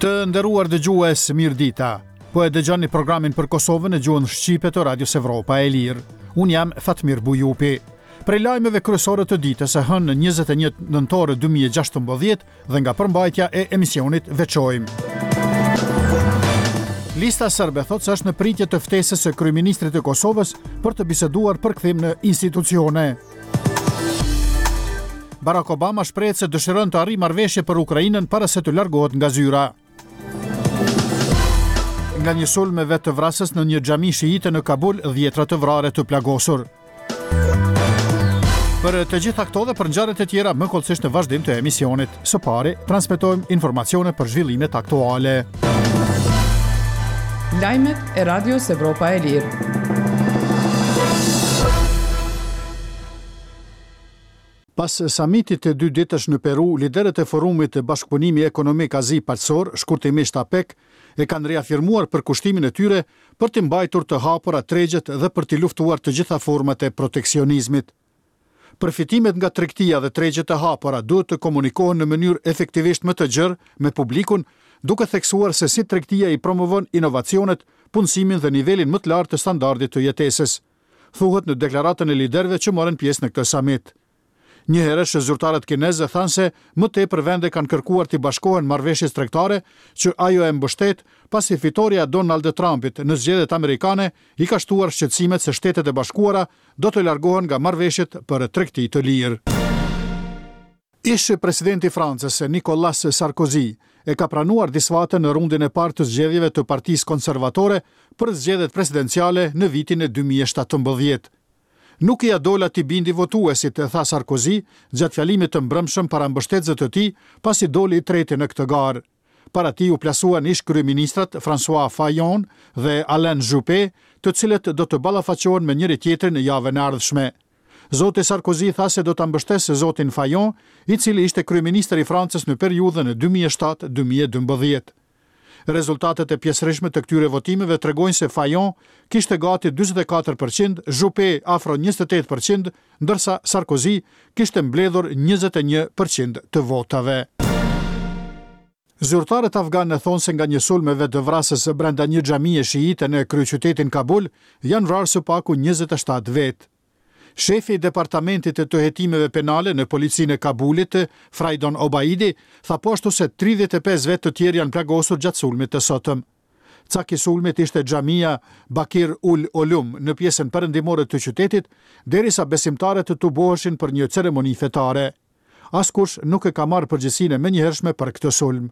Të nderuar dëgjues, mirëdita. Po e dëgjoni programin për Kosovën në gjuhën shqipe të Radios Evropa e Lirë. Unë jam Fatmir Bujupi. Prej lajmeve kryesore të ditës së hënë 21 nëntor 2016 dhe nga përmbajtja e emisionit veçojmë. Lista Serbe thotë se është në pritje të ftesës së kryeministrit të Kosovës për të biseduar për kthim në institucione. Barack Obama shprehet se dëshiron të arrijë marrëveshje për Ukrainën para se të largohet nga zyra. Nga një sulm vetëvrasës në një xhami shiite në Kabul, dhjetra të vrarë e të plagosur. Për të gjitha këto dhe për ngjarjet e tjera më hollësisht në vazhdim të emisionit. Së pari, transmetojmë informacione për zhvillimet aktuale. Lajmet e Radios Evropa e Lirë. Pas samitit të dy ditësh në Peru, liderët e forumit Bashkëpunimi Ekonomik Azi-Paqësor, shkurtimisht APEC, e kanë riafirmuar përkushtimin e tyre për t'i mbajtur të hapura tregjet dhe për t'i luftuar të gjitha format e proteksionizmit. Përfitimet nga tregtia dhe tregjet e hapura duhet të komunikohen në mënyrë efektivisht më të gjerë me publikun, duke theksuar se si tregtia i promovon inovacionet, punësimin dhe nivelin më të lartë të standardit të jetesës, thuhet në deklaratën e liderëve që morën pjesë në këtë samit. Njëherësh, zyrtarët kinezë thanë se më tepër vende kanë kërkuar t'i bashkohen marrëveshjes tregtare që ajo e mbështet, pasi fitorja e Donald Trumpit në zgjedhjet amerikane i ka shtuar shqetësimet se Shtetet e Bashkuara do të largohen nga marrëveshjet për tregti të lirë. Ish-presidenti i Francës, Nicolas Sarkozy, e ka pranuar disfatën në rundin e parë të zgjedhjeve të Partisë Konservatore për zgjedhjet presidenciale në vitin 2017. Nuk ia dola t'i bindi votuesit, tha Sarkozy gjatë fjalimit të mbrëmshëm para mbështetësve të tij, pasi doli i treti në këtë garë. Para tij u plasuan ish-kryeministrat François Fillon dhe Alain Juppé, të cilët do të ballafaqohen me njëri-tjetrin javën e ardhshme. Zoti Sarkozy tha se do ta mbështesë zotin Fillon, i cili ishte kryeministër i Francës në periudhën 2007-2012. Rezultatet e pjesërishme të këtyre votimeve tregojnë se Fillon kishte gati 44 për qind, Juppé afro 28 për qind, ndërsa Sarkozy kishte mbledhur 21 për qind të votave. Zyrtarët afganë thonë se nga një sulm vetëvrasës brenda një xhamie shiite në kryeqytetin Kabul janë vrarë së paku 27 vetë. Shefi i Departamentit të Hetimeve Penale në Policinë e Kabulit, Fraidon Obaidi, tha po ashtu se 35 vetë të tjerë janë plagosur gjatë sulmit të sotëm. Cak i sulmit ishte xhamia Bakir ul Olum në pjesën perëndimore të qytetit, derisa besimtarët tuboheshin për një ceremoni fetare. Askush nuk e ka marrë përgjegjësinë e menjëhershme për këtë sulm.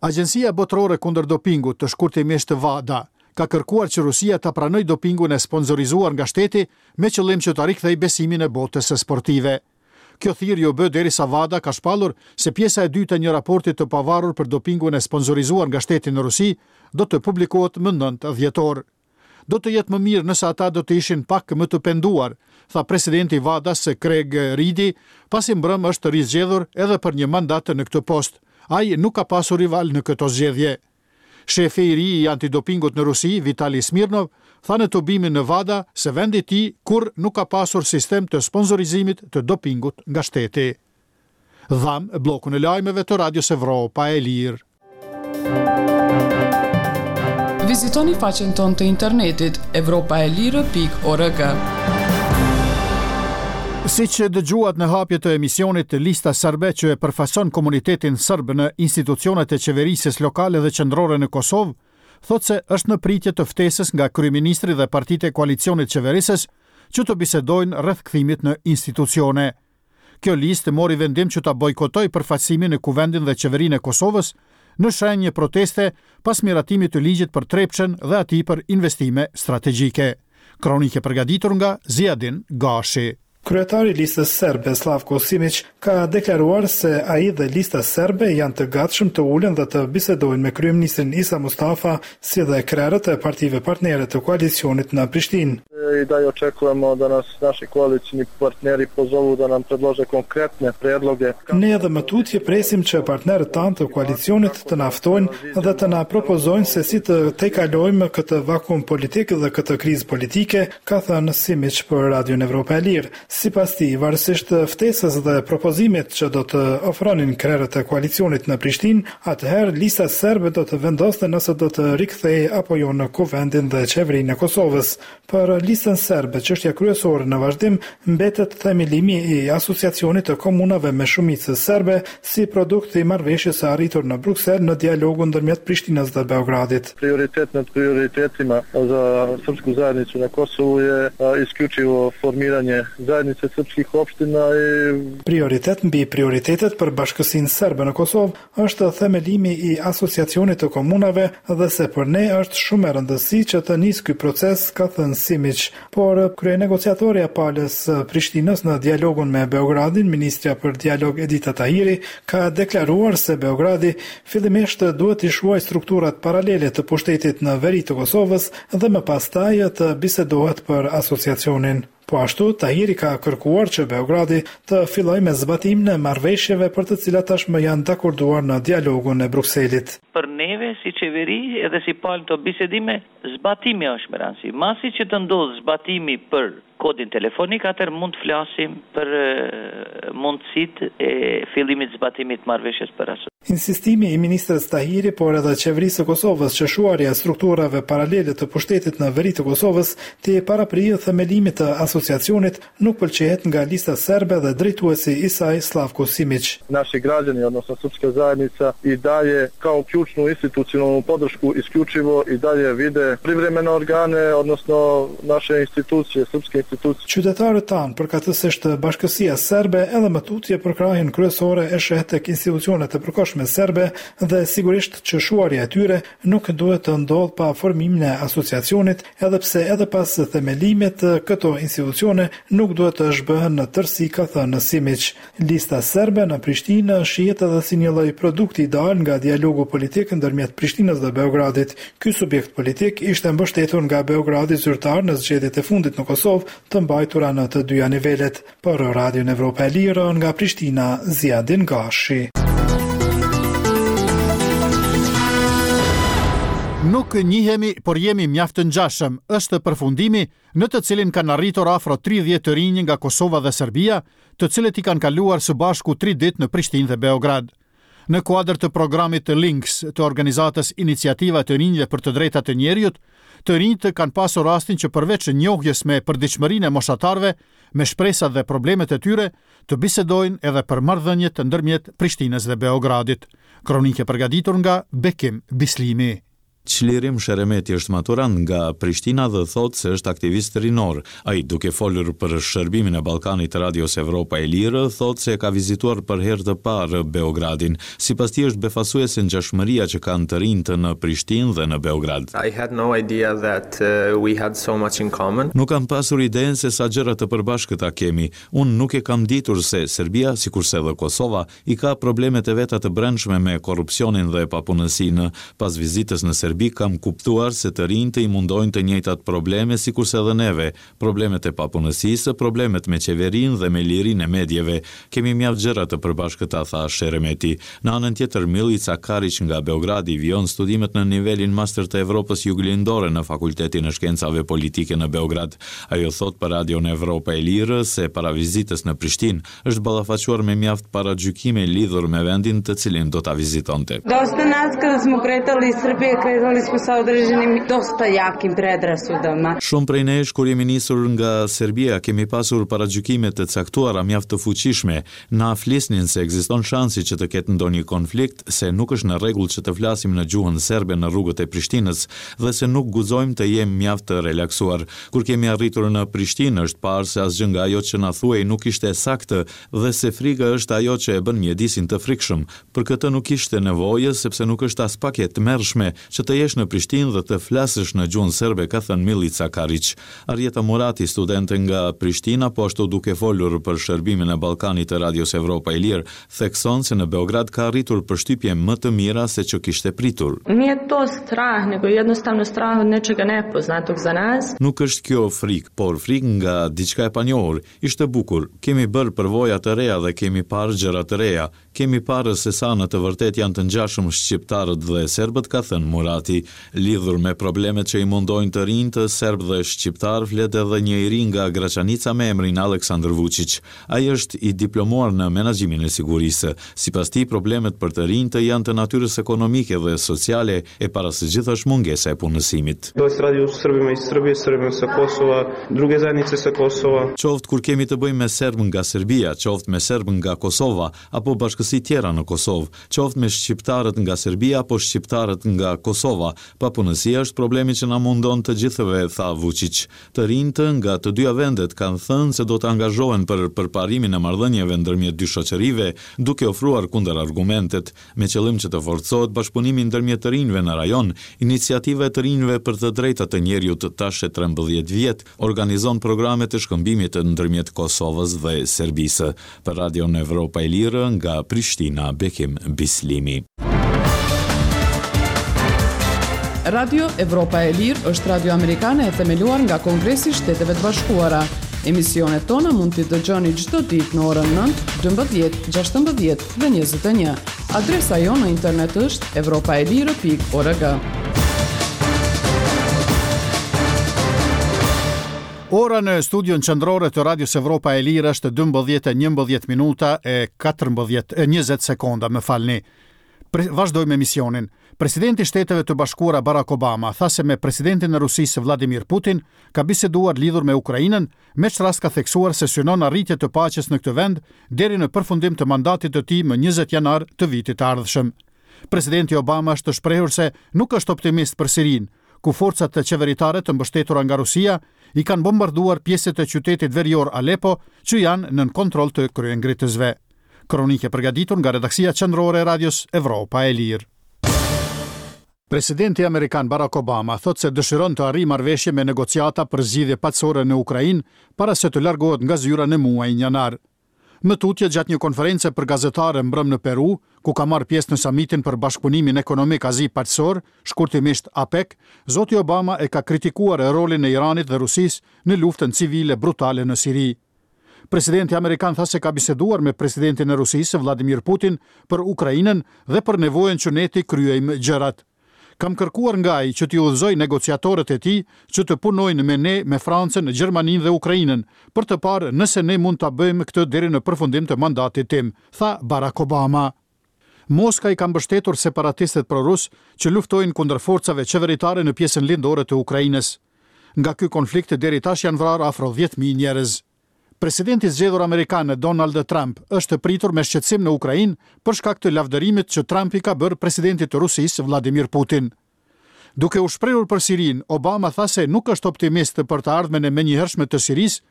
Agjencia Botërore Kundër Dopingut, shkurtimisht WADA, ka kërkuar që Rusia ta pranojë dopingun e sponsorizuar nga shteti me qëllim që ta rikthejë besimin e botës sportive. Kjo thirrje u bë derisa WADA ka shpallur se pjesa e dytë e një raporti të pavarur për dopingun e sponsorizuar nga shteti në Rusi do të publikohet më 9 dhjetor. Do të jetë më mirë nëse ata do të ishin pak më të penduar, tha presidenti i WADA-s Craig Reedie, pasi mbrëmë është rizgjedhur edhe për një mandat në këtë post. Ai nuk ka pasur rival në këto zgjedhje. Shefi i ri i antidopingut në Rusi, Vitali Smirnov, tha në tubimin në WADA se vendi i tij kurrë nuk ka pasur sistem të sponsorizimit të dopingut nga shteti. Dhamë bllokun e lajmeve të Radios Evropa e Lirë. Vizitoni faqen tonë të internetit evropaelire.org. Siç dëgjuat në hapje të emisionit, Lista Serbe që e përfaqëson komunitetin serb në institucionet e qeverisjes lokale dhe qendrore në Kosovë, thotë se është në pritje të ftesës nga kryeministri dhe partitë e koalicionit qeverisës që të bisedojnë rreth kthimit në institucione. Kjo listë mori vendim që ta bojkotojë përfaqësimin në Kuvendin dhe Qeverinë e Kosovës në shenjë proteste pas miratimit të ligjit për Trepçën dhe atij për investime strategjike. Kronikë e përgatitur nga Ziadin Gashi. Kryetari i Listës Serbe, Slavko Simiq, ka deklaruar se ai dhe Lista Serbe janë të gatshëm të ulen dhe të bisedojnë me kryeministrin Isa Mustafa, si dhe krerët e partive partnere të koalicionit në Prishtinë. I dalje očekujemo da nas naši koalicioni partneri pozovu da nam predlože konkretne predloge. Ne edhe më tutje presim që partnerët tanë të koalicionit të na ftojnë dhe të na propozojnë se si të tejkalojmë këtë vakum politik dhe këtë krizë politike, ka thënë Simiq për Radion Evropa e Lirë. Sipas tij, varësisht ftesës dhe propozimit që do të ofronin krerët e koalicionit në Prishtinë, atëherë Lista Serbe do të vendoste nëse do të rikthehej apo jo në Kuvendin dhe Qeverinë e Kosovës. Për Listën Serbe, çështja kryesore në vazhdim mbetet themelimi i Asociacionit të Komunave me shumicë serbe si produkt i marrëveshjes së arritur në Bruksel në dialogun ndërmjet Prishtinës dhe Beogradit. Prioritet nad prioritetima za srpsku zajednicu na Kosovu je isključivo formiranje zajednice srpskih opština i Prioritet mbi prioritetet për bashkësinë serbe në Kosovë është themelimi i Asociacionit të Komunave dhe se për ne është shumë me rëndësi që të nisë ky proces, ka thënë Simiq. Por, kryenegociatorja e palës së Prishtinës në dialogun me Beogradin, ministrja për Dialog Edita Tahiri, ka deklaruar se Beogradi fillimisht duhet t'i shuajë strukturat paralele të pushtetit në veri të Kosovës dhe më pastaj të bisedohet për Asociacionin. Po ashtu, Tahiri ka kërkuar që Beogradi të fillojë me zbatimin e marrëveshjeve për të cilat tashmë janë dakorduar në dialogun e Brukselit. Për neve si qeveri edhe si palë në këto bisedime, Zbatimi është me rëndësi. Masi që të ndodhë zbatimi për kodin telefonik, atëherë mund të flasim për mundësitë e fillimit të zbatimit të marrëveshjes për asociacion. Insistimi i ministres Tahiri, por edhe Qeverisë së Kosovës që shuarja e strukturave paralele të pushtetit në veri të Kosovës t'i paraprijë themelimit të Asociacionit, nuk pëlqehet nga Lista Serbe dhe drejtuesi i saj Slavko Simiq. Naši građani, odnosno srpska zajednica i dalje kao ključnu institucionalnu podršku isključivo i dalje vide privremene organe, odnosno naše institucije, srpske institucije. Qytetarët tanë, përkatësisht bashkësia serbe, edhe më tutje përkrahjen kryesore e sheh tek institucionet e përkohshme serbe dhe sigurisht që shuarja e tyre nuk duhet të ndodhë pa formimin e Asociacionit, edhe pse edhe pas themelimit këto institucione nuk duhet të zhbëhen në tërësi, ka thënë Simiq. Lista Serbe në Prishtinë shihet edhe si një lloj produkti i dalë nga dialogu politik ndërmjet Prishtinës dhe Beogradit. Ky subjekt politik ishte mbështetur nga Beogradi zyrtar në zgjedhjet e fundit në Kosovë të mbajtura në të dyja nivelet. Për Radion Evropa e Lirë, nga Prishtina, Ziadin Gashi. Nuk njihemi, por jemi mjaft të ngjashëm, është përfundimi në të cilin kanë arritur afro 30 të rinj nga Kosova dhe Serbia, të cilët i kanë kaluar së bashku tri ditë në Prishtinë dhe Beograd. Në kuadër të programit Links të organizatës Iniciativa e të Rinjve për të Drejtat e Njeriut, të rinjtë kanë pasur rastin që përveç njohjes me përditshmërinë e moshatarëve, me shpresat dhe problemet e tyre, të bisedojnë edhe për marrëdhëniet ndërmjet Prishtinës dhe Beogradit. Kronikë e përgatitur nga Bekim Bislimi. Çlirim Sheremeti është maturant nga Prishtina dhe thotë se është aktivist rinor. Ai, duke folur për shërbimin e Ballkanit të Radios Evropa e Lirë, thotë se e ka vizituar për herë të parë Beogradin. Sipas tij është befasuese ngjashmëria që kanë të rinjtë në Prishtinë dhe në Beograd. I had no idea that we had so much in common. Nuk kam pasur idenë se sa gjëra të përbashkëta kemi. Unë nuk e kam ditur se Serbia, sikurse edhe Kosova, I ka problemet e veta të brendshme me korrupsionin dhe papunësinë. Pas vizitës në Serbi kam kuptuar se të rinjtë i mundojnë të njëjtat probleme sikurse edhe neve, problemet e papunësisë, problemet me qeverinë dhe me lirinë e medieve. Kemi mjaft gjëra të përbashkëta, tha Sheremeti. Në anën tjetër, Millica Kariq nga Beogradi vijon studimet në nivelin master të Evropës Juglindore në Fakultetin e Shkencave Politike në Beograd. Ajo thotë për Radion Evropa e Lirë se para vizitës në Prishtinë, është ballafaquar me mjaft paragjykime lidhur me vendin të cilin do ta vizitonte. Dosta nas kada smo kretali iz Srbije, kretali smo sa određenim dosta jakim predrasudama. Shumë prej nesh kur jemi nisur nga Serbia kemi pasur paragjykime të caktuara mjaft të fuqishme. Na flisnin se ekziston shansi që të ketë ndonjë konflikt, se nuk është në rregull që të flasim në gjuhën serbe në rrugët e Prishtinës dhe se nuk guxojmë të jem mjaft të relaksuar. Kur kemi arritur në Prishtinë, është parë se asgjë nga ajo që na thuhej nuk ishte e saktë dhe se frika është ajo që e bën mjedisin të frikshëm. Për këtë nuk kishte nevojë, sepse nuk është aspak e tmerrshme që të jesh në Prishtinë dhe të flasësh në gjuhën serbe, ka thënë Millica Kariq. Arjeta Murati, studente nga Prishtina, po ashtu duke folur për shërbimin e Ballkanit të Radios Evropa e Lirë, thekson se në Beograd ka arritur përshtypje më të mira se që kishte pritur. Nije to strah, nego jednostavno strah od nečega nepoznatog za nas. Nuk është kjo frikë, por frikë nga diçka e panjohur. Ishte bukur. Kemi bërë përvoja të reja dhe kemi parë gjëra të reja. Kemi parë se sa në të vërtetë janë të ngjashëm shqiptarët dhe serbët, ka thënë Murati. Murati. Lidhur me problemet që i mundojnë të rinjtë serbë dhe shqiptarë flet edhe një i ri nga Graçanica me emrin Aleksandër Vuçiq. Ai është i diplomuar në menaxhimin e sigurisë. Sipas tij, problemet për të rinjtë janë të natyrës ekonomike dhe sociale e para së gjithash mungesa e punësimit. Da li se radi o Srbima iz Srbije, Srbima sa Kosova, druge zajednice sa Kosova. Qoftë kur kemi të bëjmë me serbë nga Serbia, qoftë me serbë nga Kosova, apo bashkësi tjera në Kosovë, qoftë me shqiptarët nga Serbia apo shqiptarët nga Kosova, papunësia është problemi që na mundon të gjithëve, tha Vuçiq. Të rinjtë nga të dyja vendet kanë thënë se do të angazhohen për përparimin e marrëdhënieve ndërmjet dy shoqërive, duke ofruar kundërargumentet. Me qëllim që të forcohet bashkëpunimi ndërmjet të rinjve në rajon, Iniciativa e të Rinjve për të Drejtat e Njeriut tash e 13 vjet organizon programe të shkëmbimit ndërmjet Kosovës dhe Serbisë. Për Radion Evropa e Lirë, nga Prishtina, Bekim Bislimi. Radio Evropa e Lirë është radio amerikane e themeluar nga Kongresi i Shteteve të Bashkuara. Emisionet tona mund t'i dëgjoni çdo ditë në orën 9, 12, 16 dhe 21. Adresa jonë në internet është evropaelire.org. Ora në studion qendrore të Radios Evropa e Lirë është 12:11 minuta e 14 e 20 sekonda, më falni. Pre, vazhdojmë emisionin. Presidenti i Shteteve të Bashkuara Barack Obama tha se me presidentin e Rusisë Vladimir Putin ka biseduar lidhur me Ukrainën, me ç'rast ka theksuar se synon arritje të paqes në këtë vend deri në përfundim të mandatit të tij më 20 janar të vitit të ardhshëm. Presidenti Obama është shprehur se nuk është optimist për Sirinë, ku forcat qeveritare të mbështetura nga Rusia i kanë bombarduar pjesët e qytetit verior Aleppo që janë nën kontroll të kryengritësve. Kronikë e përgatitur nga redaksia qendrore e Radios Evropa e Lirë. Presidenti amerikan Barack Obama thotë se dëshiron të arrijë marrëveshje me negociata për zgjidhje paqësore në Ukrainë para se të largohet nga zyra në muajin janar. Më tutje gjatë një konference për gazetarë mbrëmë në Peru, ku ka marrë pjesë në samitin për bashkëpunimin ekonomik Azi-Paqësor, shkurtimisht APEC, zoti Obama e ka kritikuar rolin e Iranit dhe Rusisë në luftën civile brutale në Siri. Presidenti amerikan tha se ka biseduar me presidentin e Rusisë, Vladimir Putin, për Ukrainën dhe për nevojën që ne t'i kryejmë gjërat. Kam kërkuar nga ai që t'i udhëzojë negociatorët e tij që të punojnë me ne, me Francën, Gjermaninë dhe Ukrainën, për të parë nëse ne mund ta bëjmë këtë deri në përfundim të mandatit tim, tha Barack Obama. Moska i ka mbështetur separatistët prorusë që luftojnë kundër forcave qeveritare në pjesën lindore të Ukrainës. Nga ky konflikt deri tash janë vrarë afro 10.000 njerëz. Presidenti i zgjedhur amerikan Donald Trump është pritur me shqetësim në Ukrainë për shkak të lavdërimit që Trump i ka bërë presidentit të Rusisë Vladimir Putin. Duke u shprehur për Sirinë, Obama tha se nuk është optimist për të ardhmen e menjëhershme të Sirisë,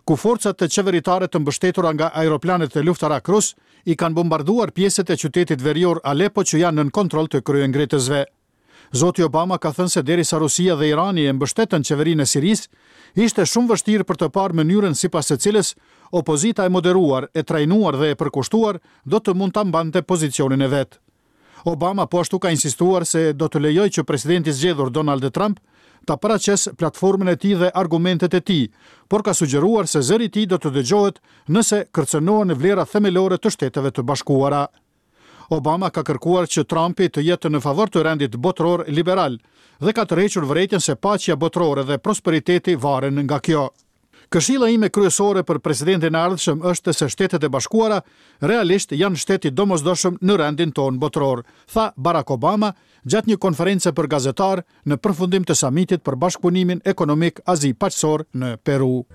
ku forcat qeveritare të mbështetura nga aeroplanët luftarakë rusë i kanë bombarduar pjesët e qytetit verior Aleppo që janë nën kontroll të kryengritësve. Zoti Obama ka thënë se derisa Rusia dhe Irani e mbështetën qeverinë e Sirisë, ishte shumë vështirë për të parë mënyrën sipas së cilës opozita e moderuar, e trajnuar dhe e përkushtuar do të mund ta mbante pozicionin e vet. Obama po ashtu ka insistuar se do të lejojë që presidenti i zgjedhur Donald Trump ta paraqesë platformën e tij dhe argumentet e tij, por ka sugjeruar se zëri i tij do të dëgjohet nëse kërcënohen vlerat themelore të Shteteve të Bashkuara. Obama ka kërkuar që Trumpi të jetë në favor të rendit botëror liberal dhe ka tërhequr vërejtjen se paqja botërore dhe prosperiteti varen nga kjo. Këshilla ime kryesore për presidentin e ardhshëm është se Shtetet e Bashkuara realisht janë shtet i domosdoshëm në rendin tonë botëror, tha Barack Obama gjatë një konference për gazetarë në përfundim të samitit për bashkëpunimin ekonomik Azi-Paqësor në Peru.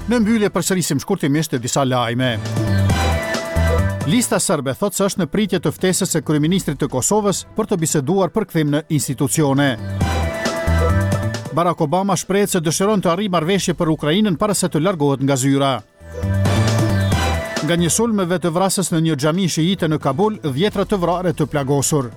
Në mbyllje përsërisim shkurtimisht disa lajme. Lista Serbe thotë se është në pritje të ftesës së kryeministrit të Kosovës për të biseduar për kthim në institucione. Barack Obama shprehet se dëshiron të arrijë marrëveshje për Ukrainën para se të largohet nga zyra. Nga një sulm vetëvrasës në një xhami shiite në Kabul, dhjetra të vrarë e të plagosur.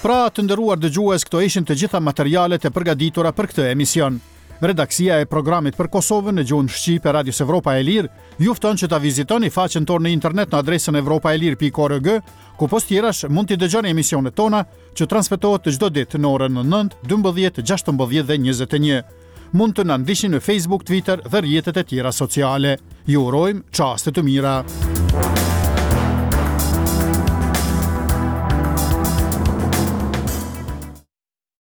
Pra, të nderuar dëgjues, këto ishin të gjitha materialet e përgatitura për këtë emision. Redaksia e programit për Kosovën në gjuhën shqipe Radios Evropa e Lirë ju fton që ta vizitoni faqen tonë në internet në adresën evropaelire.org, ku pos tjerash mund t'i dëgjoni emisionet tona që transmetohet çdo ditë në orën 9, 12, 16 dhe 21. Mund të na ndiqni në Facebook, Twitter dhe rrjetet e tjera sociale. Ju urojmë çaste të mira.